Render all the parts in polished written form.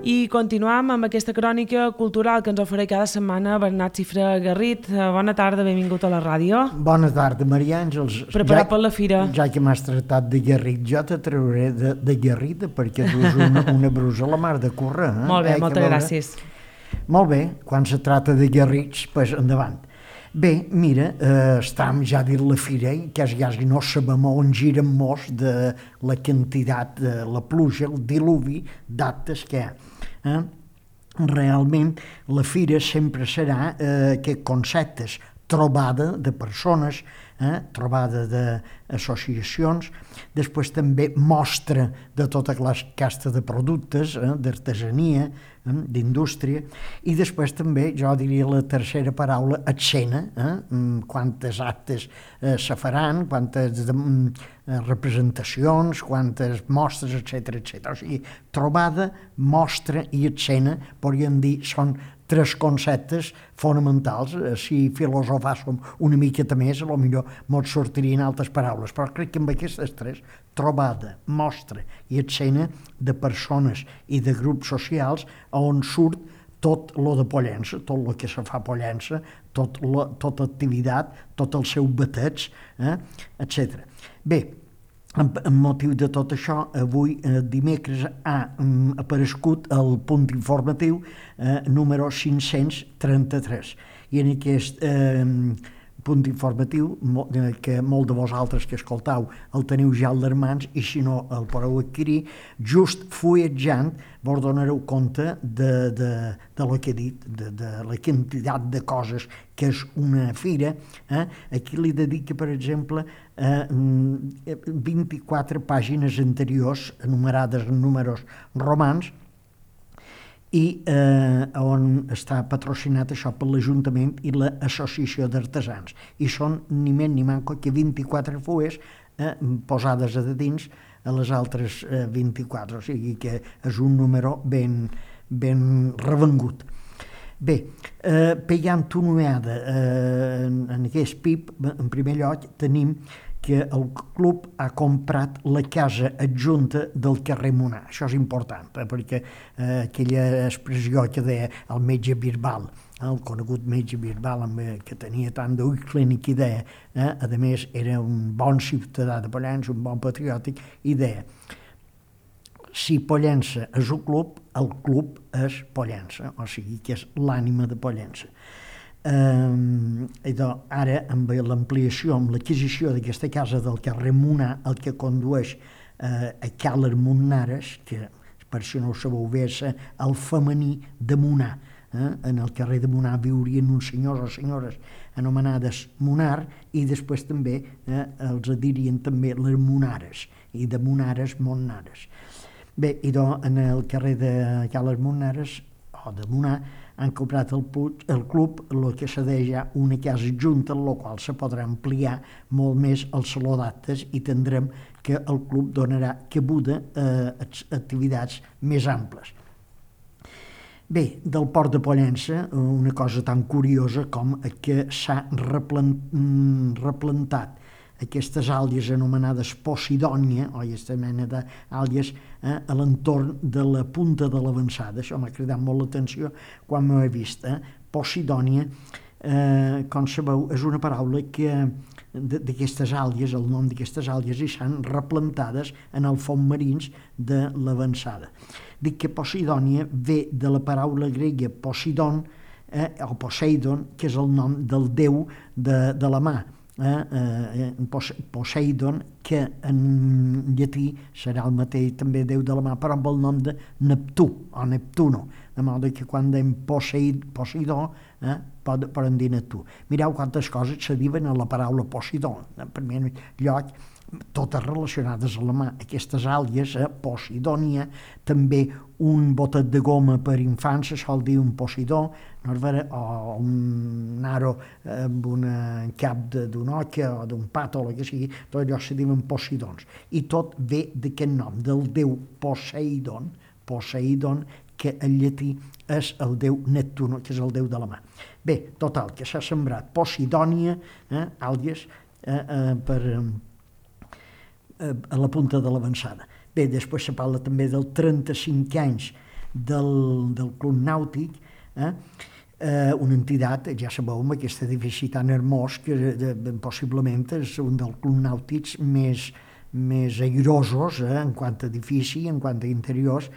I continuam amb aquesta crònica cultural que ens ofereix cada setmana Bernat Cifra Garrit. Bona tarda, benvingut a la ràdio. Bona tarda, Maria Àngels. Preparat per la fira. Ja que m'has tractat de Garrit, jo te trauré de Garrita perquè dus una brusa a la mar de córrer. Molt bé, moltes gràcies. Molt bé, quan se trata de Garrits, doncs endavant. Bé, mira, estem ja dins la fira i quasi no sabem on girem molts de la quantitat de la pluja, el diluvi d'actes que hi ha. Realment, la fira sempre serà aquest concepte, trobada de persones, trobada d'associacions, després també mostra de tota casta de productes, d'artesania, d'indústria, i després també, jo diria la tercera paraula, escena, quantes actes se faran, quantes representacions, quantes mostres, etc. O sigui, trobada, mostra i escena, podríem dir, són tres conceptes fonamentals. Si filosofàssim una miqueta més, potser ens sortirien altres paraules, però crec que amb aquestes tres, trobada, mostra i escena de persones i de grups socials on surt tot lo de Pollença, tot el que se fa a Pollença, tota activitat, tot el seu bateig, etc. Bé, amb motiu de tot això, avui, dimecres, ha aparegut el punt informatiu número 533. I en aquest punt informatiu, que molt de vosaltres que escoltau el teniu ja al mans, i si no el podeu adquirir, just fulletjant vos donareu compte de lo que he dit, de la quantitat de coses que és una fira. Aquí li dedica, per exemple, 24 pàgines anteriors, enumerades en números romans, i on està patrocinat això per l'Ajuntament i l'Associació d'Artesans. I són ni més ni manco que 24 fulles posades a dins a les altres 24, o sigui que és un número ben revengut. Bé, pegant una ullada en aquest PIB, en primer lloc tenim que el club ha comprat la casa adjunta del carrer Monar. Això és important, perquè aquella expressió que deia el metge Birbal, el conegut metge Birbal, que tenia tant d'ull clínic, i deia, a més era un bon ciutadà de Pollença, un bon patriòtic, i deia, si Pollença és un club, el club és Pollença, o sigui que és l'ànima de Pollença. Ara, amb l'ampliació, amb l'adquisició d'aquesta casa del carrer Monar, el que condueix a Càler Monares, que per si no ho sabeu bé, és el femení de Monar. En el carrer de Monar viurien uns senyors o senyores anomenades Monar, i després també els dirien també les Monares, i de Monares, Monares. Bé, en el carrer de Càler Monares, o de Monar, han comprat el club, el que cedeix ja una casa junta, en la qual se podrà ampliar molt més el saló d'actes, i tindrem que el club donarà cabuda a activitats més amples. Bé, del port de Pollença, una cosa tan curiosa com que s'ha replantat aquestes àlgues anomenades Posidònia, o aquesta mena d'àlgues, a l'entorn de la punta de l'Avançada. Això m'ha cridat molt l'atenció quan m'ho he vist. Posidònia, com sabeu, és una paraula que d'aquestes àlgues, el nom d'aquestes àlgues, i s'han replantades en els fons marins de l'Avançada. Dic que Posidònia ve de la paraula grega Posidon, o Poseidon, que és el nom del déu de la mà. Poseidon, que en llatí serà el mateix també déu de la mà, però amb el nom de Neptú o Neptuno, de modo que quan dèiem Poseidó poden dir Neptú. Mireu quantes coses se diuen a la paraula Poseidon. En primer lloc, totes relacionades a la mà. Aquestes àlgues, Posidònia, també un botet de goma per infants, se sol dir un Posidó, o un aro amb un cap d'una oca o d'un pat o el que sigui, tot allò se diuen Posidons. I tot ve d'aquest nom, del déu Poseidon, que en llatí és el déu Neptuno, que és el déu de la mà. Bé, total, que s'ha sembrat Posidònia, àlgues, a la punta de l'Avançada. Bé, després se parla també del 35 anys del Club Nàutic, una entitat, ja sabeu, amb aquest edifici tan hermós que possiblement és un dels clubs nàutics més airosos en quant a edifici, en quant a interiors,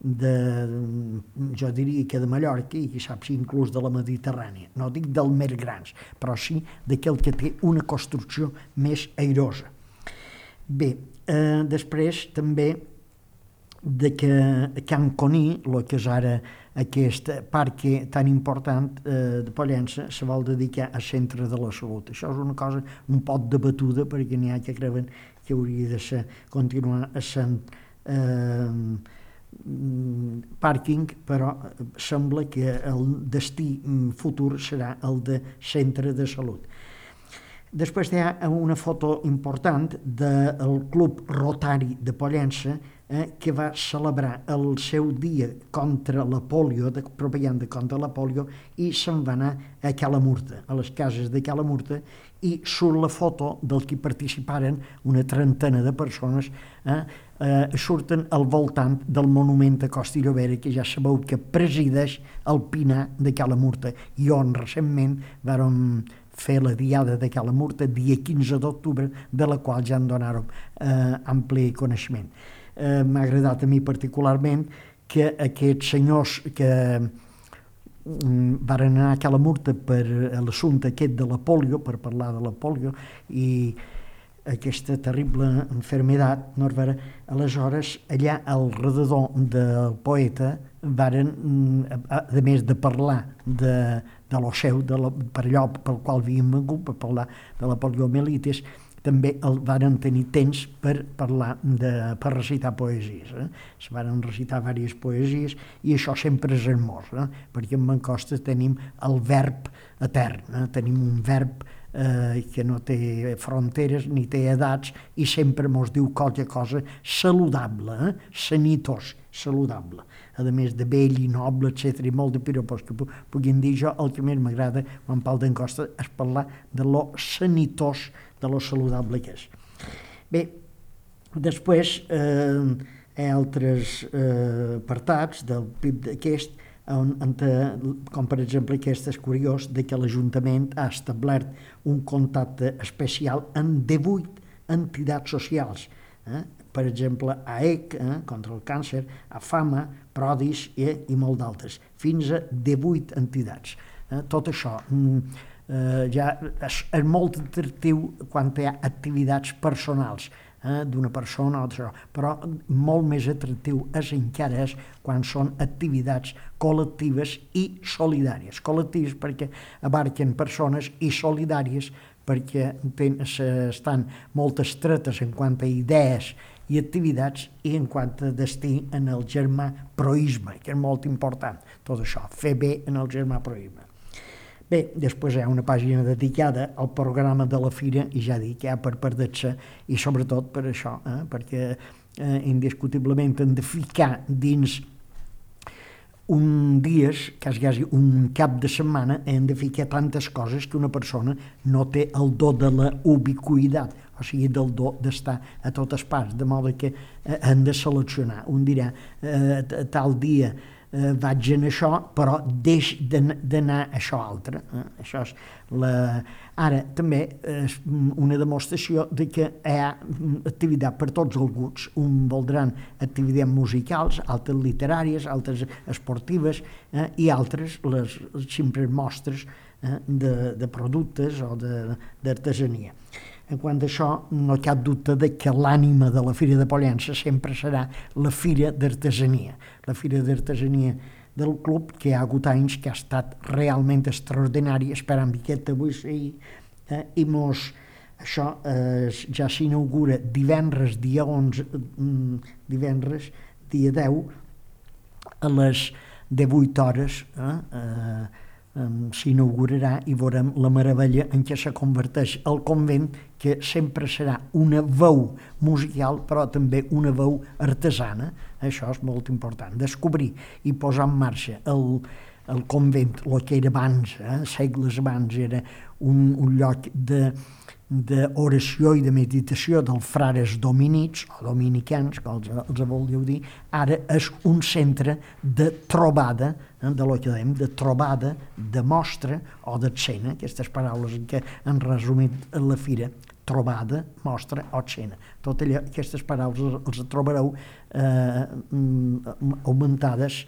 jo diria que de Mallorca i qui sap si inclús de la Mediterrània. No dic dels més grans, però sí d'aquell que té una construcció més airosa. Bé, després també que Can Coní, el que és ara aquest parc tan important de Pollença, se vol dedicar al centre de la salut. Això és una cosa un poc debatuda perquè n'hi ha que creuen que hauria de continuar sent pàrquing, però sembla que el destí futur serà el de centre de salut. Després hi ha una foto important del Club Rotari de Pollença que va celebrar el seu dia contra la pòlio, de propaganda contra la pòlio, i se'n va anar a Calamurta, a les cases de Calamurta, i surt la foto del que participaren una trentena de persones, surten al voltant del monument a Costa i Llobera, que ja sabeu que presideix el Pinar de Calamurta, i on recentment vàrem fer la diada de Calamurta, dia 15 d'octubre, de la qual ja en donàrem ampli coneixement. M'ha agradat a mi particularment que aquests senyors que varen anar a Calamurta per l'assumpte aquest de la pòlio, per parlar de la pòlio i aquesta terrible malaltia, aleshores allà al redador del poeta varen, a més de parlar de lo seu, per allò pel qual havien vengut, per parlar de la poliomielitis, també varen tenir temps per parlar, per recitar poesies. Es varen recitar diverses poesies i això sempre és hermós, perquè en Mancosta tenim el verb etern, tenim un verb que no té fronteres ni té edats i sempre mos diu qualque cosa saludable, sanitós, saludable. A més de vell i noble, etc. i molt de piropos que puguin dir jo, el que més m'agrada quan parlo d'en Costa és parlar de lo sanitós, de lo saludable que és. Bé, després hi ha altres apartats del PIB d'aquest, com per exemple aquest és curiós de que l'Ajuntament ha establert un contacte especial amb 18 entitats socials, per exemple AEC, contra el càncer, AFAMA, Prodis i molt d'altres, fins a 18 entitats. Tot això ja és molt atractiu quan hi ha activitats personals d'una persona o d'això, però molt més atractiu encara és quan són activitats col·lectives i solidàries. Col·lectives perquè abarquen persones i solidàries perquè estan molt estretes en quant a idees i activitats i en quant a destí en el germaproisme, que és molt important, tot això, fer bé en el germaproisme. Bé, després hi ha una pàgina dedicada al programa de la fira i ja dic, ja per perdre-se i sobretot per això, perquè indiscutiblement hem de ficar dins un dies, quasi un cap de setmana, hem de ficar tantes coses que una persona no té el do de la ubiquitat, o sigui, del do d'estar a totes parts, de modo que hem de seleccionar. Un dirà, tal dia vaig en això, però deix d'anar a això altre. Això és Ara, també és una demostració de que hi ha activitat per tots els gusts. Un voldran activitats musicals, altres literàries, altres esportives i altres les simples mostres de productes o d'artesania. En quant a això, no hi ha cap dubte de que l'ànima de la Fira de Pollença sempre serà la Fira d'Artesania. La Fira d'Artesania del club, que hi ha hagut anys que ha estat realment extraordinari, esperant que avui sigui, i això ja s'inaugura divendres, dia 11, divendres, dia 10, a les 18 hores, s'inaugurarà i veurem la meravella en què se converteix el convent, que sempre serà una veu musical però també una veu artesana. Això és molt important, descobrir i posar en marxa el convent, el que era abans, segles abans, era un lloc d'oració i de meditació dels frares dominics, o dominicans, que els voldríeu dir, ara és un centre de trobada, de lo que dèiem, de trobada, de mostra o d'escena, aquestes paraules que han resumit la fira, trobada, mostra o escena. Tot allò, aquestes paraules els trobareu augmentades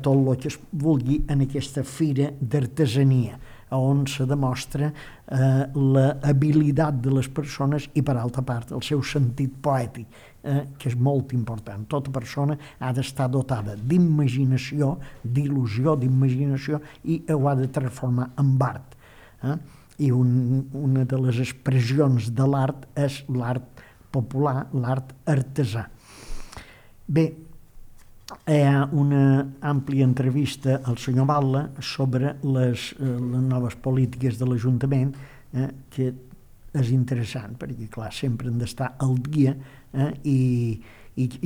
tot el que es vulgui en aquesta fira d'artesania, on se demostra l'habilitat de les persones i, per altra part, el seu sentit poètic, que és molt important. Tota persona ha d'estar dotada d'imaginació, d'il·lusió, d'imaginació, i ho ha de transformar en art. I una de les expressions de l'art és l'art popular, l'art artesà. Bé, hi ha una àmplia entrevista al senyor Batlle sobre les noves polítiques de l'Ajuntament, que és interessant, perquè, clar, sempre hem d'estar al dia i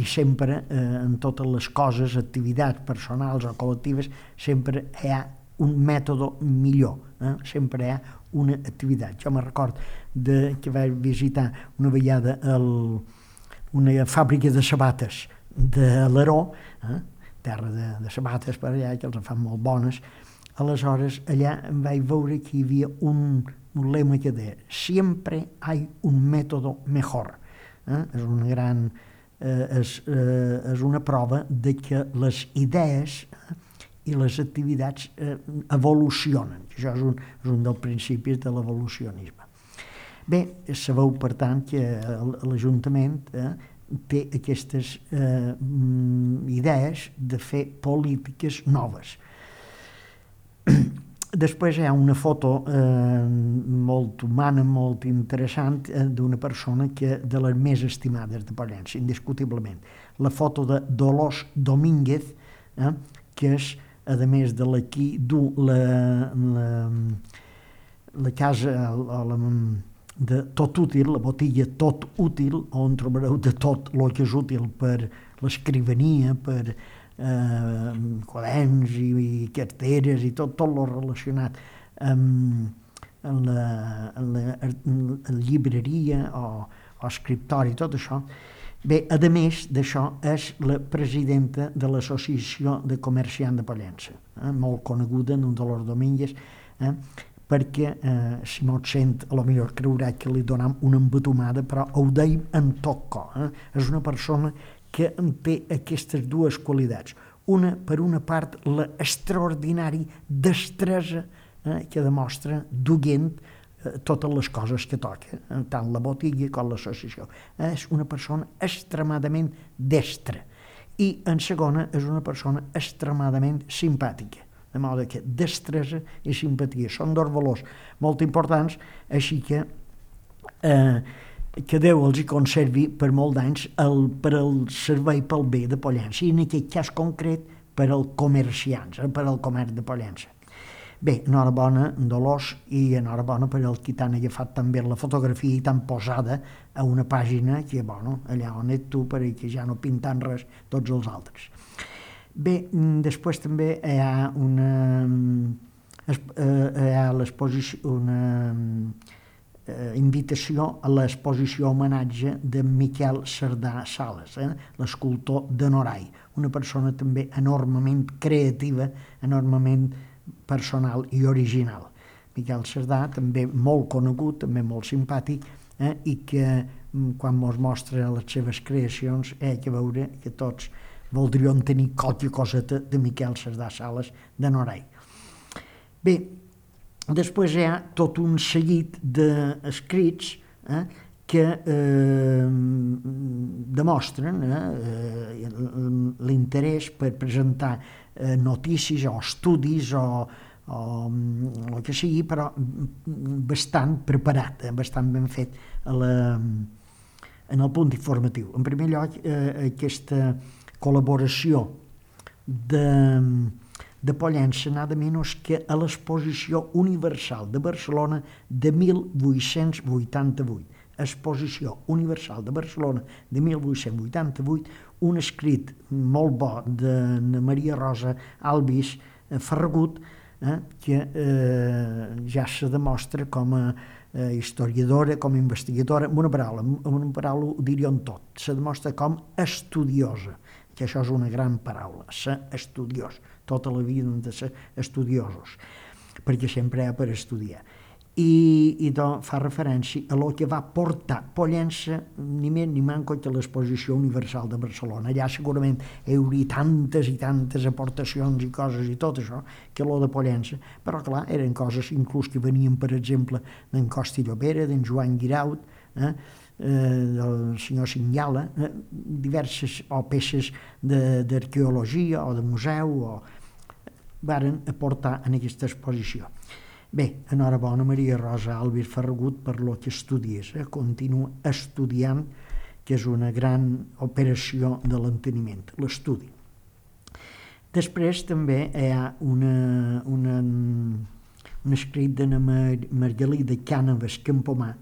sempre, en totes les coses, activitats personals o col·lectives, sempre hi ha un mètode millor, sempre hi ha una activitat. Jo me record que vaig visitar una vegada una fàbrica de sabates de l'Aró, terra de sabates per allà, que els fan molt bones. Aleshores, allà vaig veure que hi havia un lema que deia «Siempre hay un método mejor». És una prova de que les idees i les activitats evolucionen. Això és un dels principis de l'evolucionisme. Bé, sabeu, per tant, que l'Ajuntament té aquestes idees de fer polítiques noves. Després hi ha una foto molt humana, molt interessant, d'una persona de les més estimades de Pollença, indiscutiblement. La foto de Dolors Domínguez, que és, a més de l'aquí, du la casa de tot útil, la botiga tot útil, on trobareu de tot el que és útil per l'escrivania, per quaderns i carteres i tot el relacionat amb la llibreria o escriptori, tot això. Bé, a més d'això, és la presidenta de l'Associació de Comerciants de Pollença, molt coneguda, en Dolors Domínguez, perquè, si no et sent, potser creurà que li donem una embatumada, però ho deim en tot cor. És una persona que té aquestes dues qualitats. Per una part, l'extraordinària destresa que demostra duent totes les coses que toca, tant la botiga com l'associació. És una persona extremadament destra. I, en segona, és una persona extremadament simpàtica. De modo que destresa i simpatia són dos valors molt importants, així que Déu els hi conservi per molt d'anys per al servei pel bé de Pollença, i en aquest cas concret per als comerciants, per al comerç de Pollença. Bé, enhorabona, Dolors, i enhorabona per al qui t'han agafat també la fotografia i t'han posada a una pàgina que, allà on ets tu, perquè ja no pinten res tots els altres. Bé, després també hi ha una invitació a l'exposició homenatge de Miquel Cerdà Sales, l'escultor de Norai, una persona també enormement creativa, enormement personal i original. Miquel Cerdà, també molt conegut, també molt simpàtic, i que quan ens mostra les seves creacions hi ha que veure que tots voldríem tenir qualque coseta de Miquel Cerdà Sales de Norai. Bé, després hi ha tot un seguit d'escrits que demostren l'interès per presentar notícies o estudis o el que sigui, però bastant preparat, bastant ben fet en el punt informatiu. En primer lloc, aquesta col·laboració de Pollença, nada menys que a l'Exposició Universal de Barcelona de 1888. Exposició Universal de Barcelona de 1888, un escrit molt bo de Maria Rosa Albis Ferragut, que ja se demostra com a historiadora, com a investigadora, amb una paraula ho diríem tot. Se demostra com estudiosa, que això és una gran paraula, ser estudiós. Tota la vida hem de ser estudiosos, perquè sempre hi ha per estudiar. I doncs fa referència a el que va portar Pollença, ni més ni manco, que l'Exposició Universal de Barcelona. Allà segurament hi hauria tantes i tantes aportacions i coses i tot això, que lo de Pollença, però clar, eren coses inclús que venien, per exemple, d'en Costa i Llobera, d'en Joan Guiraut, del senyor Sinyala, diverses o peces d'arqueologia o de museu varen aportar en aquesta exposició. Bé, enhorabona Maria Rosa Alves Ferragut per lo que estudies, continua estudiant, que és una gran operació de l'enteniment, l'estudi. Després també hi ha un escrit de Margalida Cànovas Campomà,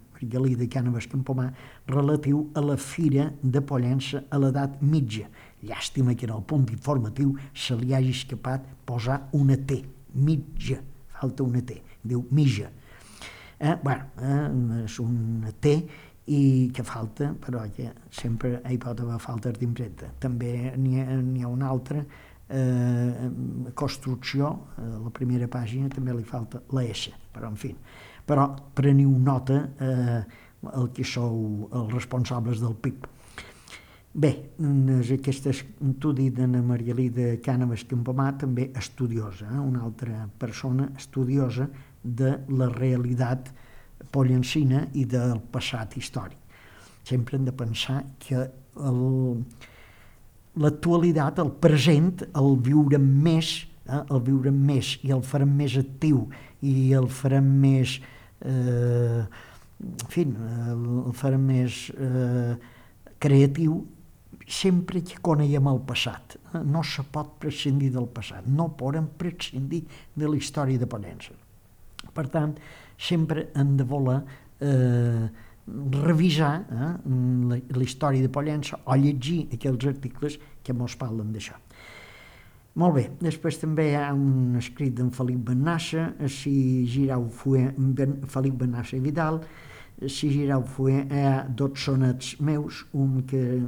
relatiu a la Fira de Pollença a l'edat mitja. Llàstima que en el punt informatiu se li hagi escapat posar una T, mitja, falta una T, diu mitja. És una T i que falta, però que sempre hi pot haver faltes d'impremta. També n'hi ha una altra, construcció, a la primera pàgina també li falta la S, però en fi. Però preniu nota el que sou els responsables del PIB. Bé, aquest estudi de Margalida Cànovas Campomà, també estudiosa, una altra persona estudiosa de la realitat pollencina i del passat històric. Sempre hem de pensar que l'actualitat, el present, el viurem més i el farem més actiu i el farem més el farem més creatiu sempre que coneguem el passat. No se pot prescindir del passat, no podem prescindir de la història de Pollença. Per tant, sempre hem de voler revisar la història de Pollença o llegir aquells articles que ens parlen d'això. Molt bé, després també hi ha un escrit d'en Felip Benassa, si Girau Fuer, Felip Benassa i Vidal, si Girau Fuer, hi ha 2 sonets meus, un que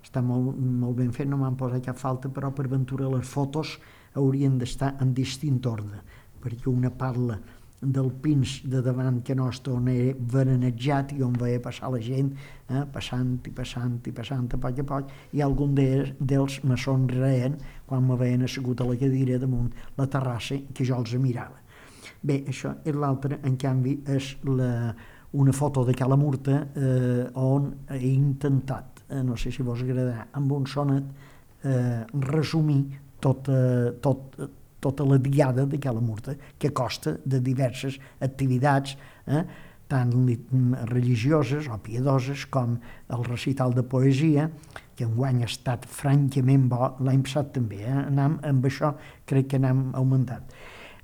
està molt ben fet, no m'han posat cap falta, però per ventura les fotos haurien d'estar en distint ordre, perquè una parla del pins de davant que nostre on era veranejat i on veia passar la gent, passant a poc a poc, i algun d'ells me sonreien quan me veien assegut a la cadira damunt la terrassa que jo els mirava. Bé, això és l'altre, en canvi, és una foto de Cala Murta on he intentat, no sé si vos agradarà, amb un sonet resumir tota la diada de Cala Murta, que consta de diverses activitats, tant religioses o piadoses com el recital de poesia, que enguany ha estat francament bo, l'any passat també, amb això crec que n'hem augmentat.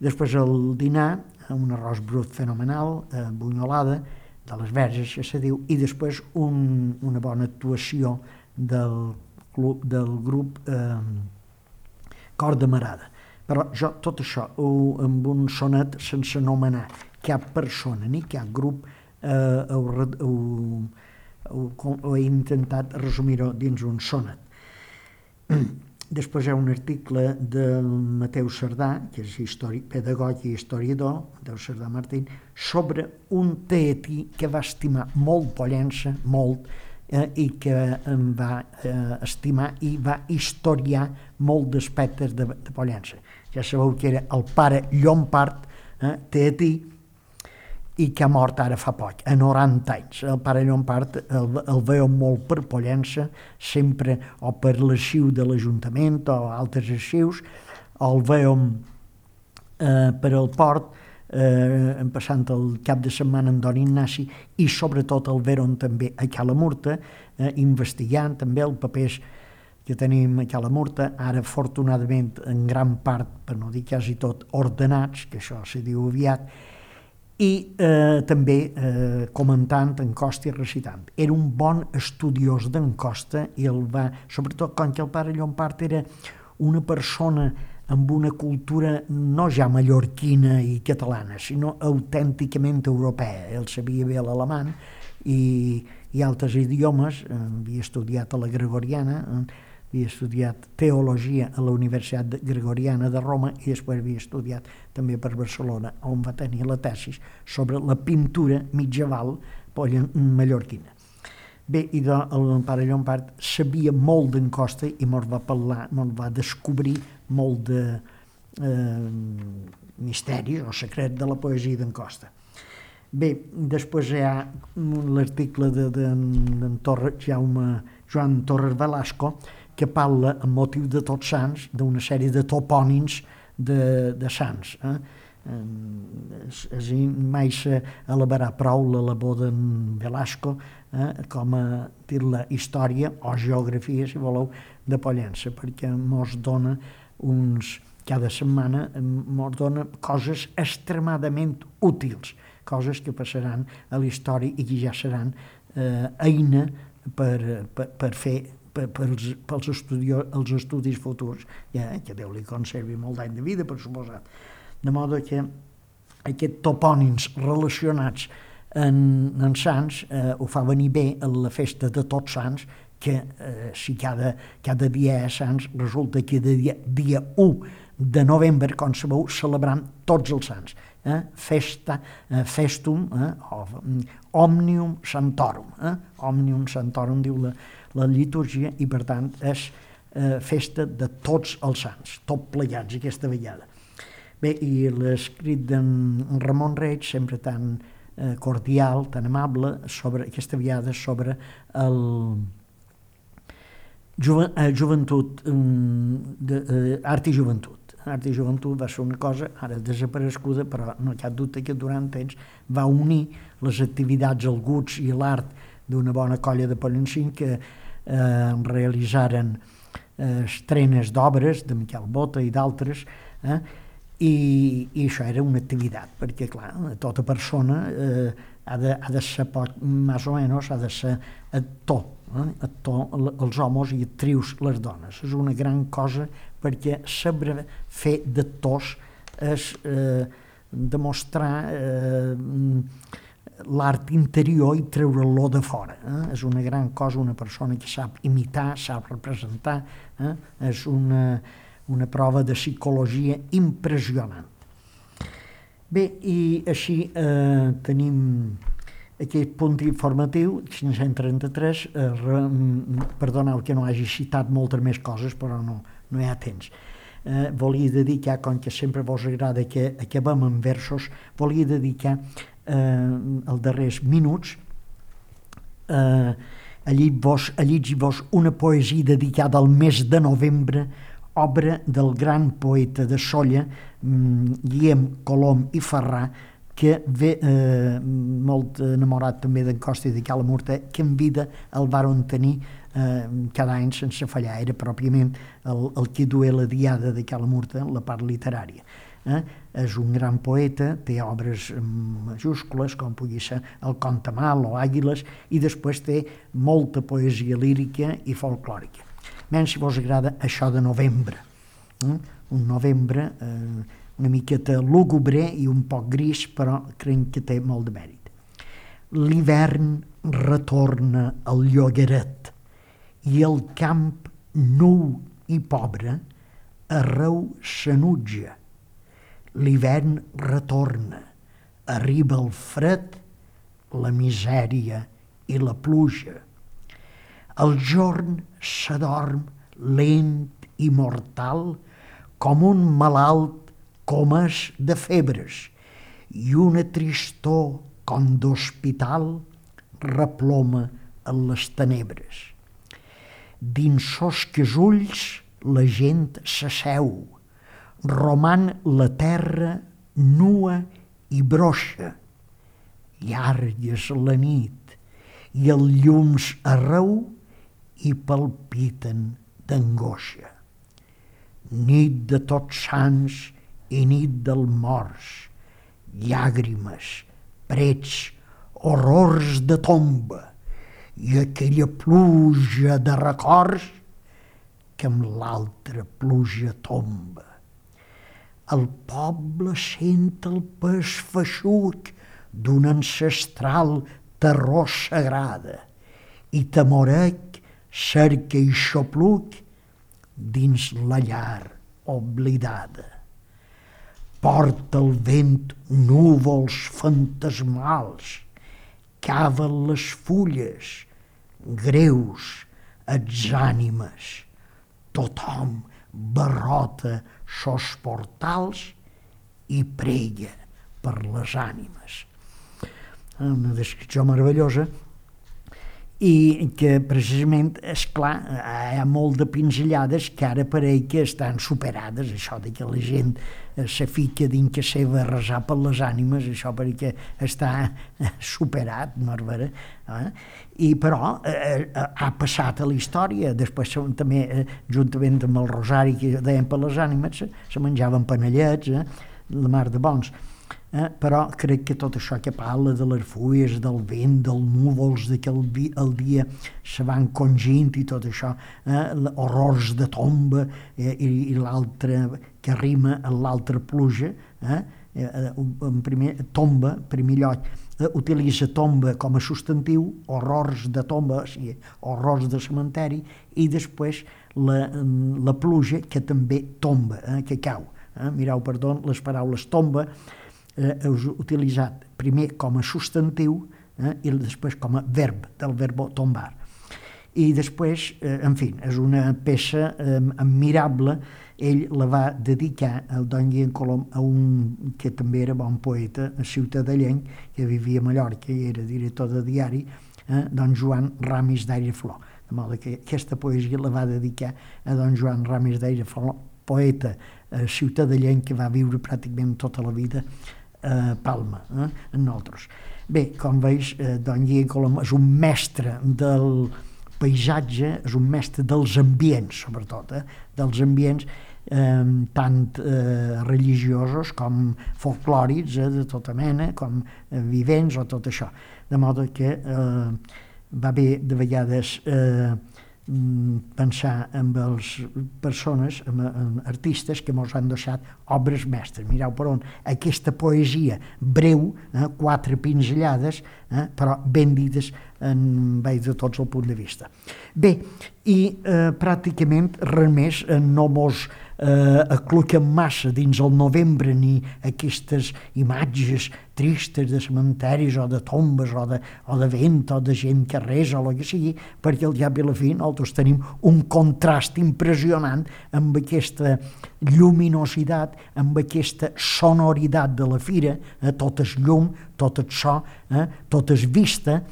Després el dinar, un arròs brut fenomenal, bunyolada, de les verges, que se diu, i després una bona actuació del grup Cor de Marada. Però jo tot això, amb un sonet sense anomenar cap persona ni cap grup, he intentat resumir-ho dins un sonet. Després hi ha un article del Mateu Cerdà, que és pedagog i historiador, Mateu Cerdà Martín, sobre un teatí que va estimar molt Pollença, molt, i que em va estimar i va historiar molt d'aspectes de Pollença. Ja sabeu que era el pare Llompart, teatí, i que ha mort ara fa poc, a 90 anys. El pare Llompart el veu molt per Pollença, sempre o per l'arxiu de l'Ajuntament o altres arxius, el veu per el port, passant el cap de setmana amb Don Ignasi, i sobretot el veuen també a Cala Murta, investigant també els papers que tenim a Cala Murta, ara afortunadament en gran part, per no dir quasi tot, ordenats, que això se diu aviat, i també comentant en Costa i recitant. Era un bon estudiós d'en Costa i sobretot com que el pare Llompart era una persona amb una cultura no ja mallorquina i catalana, sinó autènticament europea. Ell sabia bé l'alemany i altres idiomes, havia estudiat a la Gregoriana, havia estudiat teologia a la Universitat Gregoriana de Roma i després havia estudiat també per Barcelona, on va tenir la tesis sobre la pintura medieval mallorquina. Bé, i el pare Llompart sabia molt d'en Costa i mos va parlar, mos va descobrir molt de misteri o secret de la poesia d'en Costa. Bé, després hi ha l'article d'en Joan Torres Velasco, que parla, amb motiu de Tots Sants, d'una sèrie de topònims de sants. Mai s'elevarà prou la labor d'en Velasco com a la història o geografia, si voleu, de Pollença, perquè mos dona cada setmana mos dona coses extremadament útils, coses que passaran a la història i que ja seran eina per fer pels estudis futurs, que Déu li conservi molt d'any de vida, per suposat. De modo que aquests topònims relacionats en sants ho fa venir bé a la festa de Tots Sants, que si cada dia és sants, resulta que dia 1 de novembre, com sabeu, celebrem tots els sants. Festum, Omnium Santorum. Omnium Santorum diu la litúrgia i, per tant, és festa de tots els sants, tot plegats aquesta vegada. Bé, i l'escrit d'en Ramon Reig, sempre tan cordial, tan amable, sobre aquesta vegada sobre joventut, art i joventut. Art i joventut va ser una cosa ara desapareguda, però no hi ha dubte que durant temps va unir les activitats, el guts i l'art d'una bona colla de pollencins que realitzaren estrenes d'obres de Miquel Bota i d'altres, i això era una activitat, perquè clar, tota persona ha de ser més o menys, ha de ser actor, els homes i actrius les dones. És una gran cosa perquè saber fer d'actors és demostrar l'art interior i treure-lo de fora. És una gran cosa, una persona que sap imitar, sap representar, és una prova de psicologia impressionant. Bé, i així tenim aquest punt informatiu, 533, perdoneu que no hagi citat moltes més coses, però no hi ha temps. Volia dedicar, com que sempre vos agrada que acabem en versos, volia dedicar els darrers minuts a llegir-vos una poesia dedicada al mes de novembre, obra del gran poeta de Sóller, Guillem Colom i Ferrà, que ve molt enamorat també d'en Costa i de Cala Murta, que en vida el varen tenir cada any sense fallar. Era pròpiament el que duia la diada de Cala Murta, la part literària. És un gran poeta, té obres majúscules, com pugui ser el Contamal o Àguiles, i després té molta poesia lírica i folclòrica. Menys si vos agrada això de novembre. Un novembre una miqueta lúgubre i un poc gris, però crec que té molt de mèrit. L'hivern retorna al llogaret i el camp nu i pobre arreu s'enutja. L'hivern retorna, arriba el fred, la misèria i la pluja. El jorn s'adorm lent i mortal com un malalt comès de febres i una tristor com d'hospital reploma en les tenebres. Dins sosques ulls la gent s'asseu, roman la terra nua i broixa, llargues la nit i els llums arreu i palpiten d'angoixa. Nit de Tots Sants i nit del morts, llàgrimes, prets, horrors de tomba i aquella pluja de records que amb l'altra pluja tomba. el poble sent el pes feixuc d'una ancestral terror sagrada i temorec cerca i xopluc dins la llar oblidada. Porta el vent núvols fantasmals, caven les fulles, greus, els ànimes. Tothom barrota sos portals i prega per les ànimes. Una descripció meravellosa i que precisament, esclar, hi ha molt de pinzellades que ara pareix que estan superades, això de que la gent se fica dins que seva a resar per les ànimes, això perquè està superat, no és vera? Però ha passat a la història, després també, juntament amb el rosari que deien per les ànimes, se menjaven panellets, la mar de bons. Però crec que tot això que parla de les fulles, del vent, dels núvols, de que el dia se van congint i tot això, horrors de tomba i l'altre que rima en l'altra pluja, en tomba, en primer lloc, utilitza tomba com a substantiu, horrors de tomba, o sigui, horrors de cementeri, i després la pluja que també tomba, que cau. Mireu, perdó, les paraules tomba és utilitzat primer com a substantiu i després com a verb, del verbo tombar. I després, en fi, és una peça admirable. Ell la va dedicar al don Guillem Colom, a un que també era bon poeta, ciutadellenc, que vivia a Mallorca i era director de diari, don Joan Ramis d'Aireflor. De modo que aquesta poesia la va dedicar a don Joan Ramis d'Aireflor, poeta ciutadellenc que va viure pràcticament tota la vida a Palma, en nosaltres. Bé, com veus, don Guillem Colom és un mestre del paisatge, és un mestre dels ambients, sobretot, dels ambients tant religiosos com folclòrics, de tota mena, com vivents o tot això. De modo que va bé de vegades pensar en les persones, en artistes que ens han deixat obres mestres. Mireu per on aquesta poesia breu, 4 pinzellades, però ben dites veig de tots el punt de vista. Bé, i pràcticament res més no mos acluquen massa dins el novembre ni aquestes imatges tristes de cementaris o de tombes o de vent o de gent que resa o el que sigui, perquè al cap i a la fi nosaltres tenim un contrast impressionant amb aquesta lluminositat, amb aquesta sonoritat de la fira, tot és llum, tot és so, tot és vista,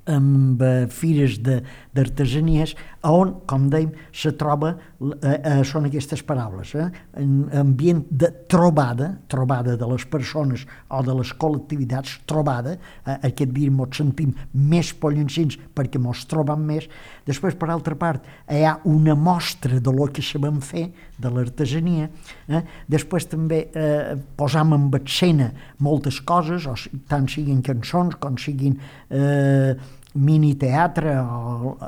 amb fires d'artesanies, on, com dèiem, se troba, són aquestes paraules, ambient de trobada de les persones o de les col·lectivitats, trobada, aquest dia ens sentim més pollencins perquè ens trobem més. Després, per altra part, hi ha una mostra de lo que sabem fer, de l'artesania. Després també posam en escena moltes coses, tant siguin cançons com siguin miniteatre o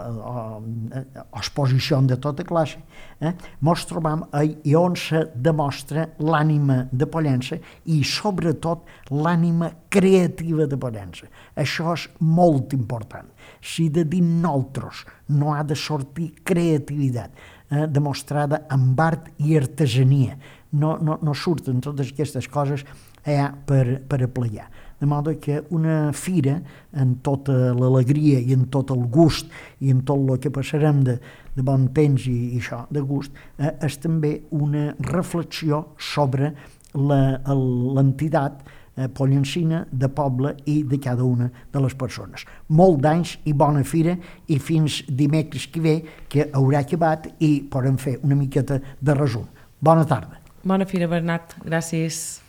exposició de tota classe, mos trobam i on se demostra l'ànima de Pollença i sobretot l'ànima creativa de Pollença. Això és molt important. Si de dins nosaltres no ha de sortir creativitat demostrada amb art i artesania, no surten totes aquestes coses allà per aplegar. De modo que una fira, en tota l'alegria i en tot el gust i en tot el que passarem de bon temps i això, de gust, és també una reflexió sobre l'entitat pollencina de poble i de cada una de les persones. Molt d'anys i bona fira i fins dimecres que ve, que haurà acabat i podem fer una miqueta de resum. Bona tarda. Bona fira, Bernat. Gràcies.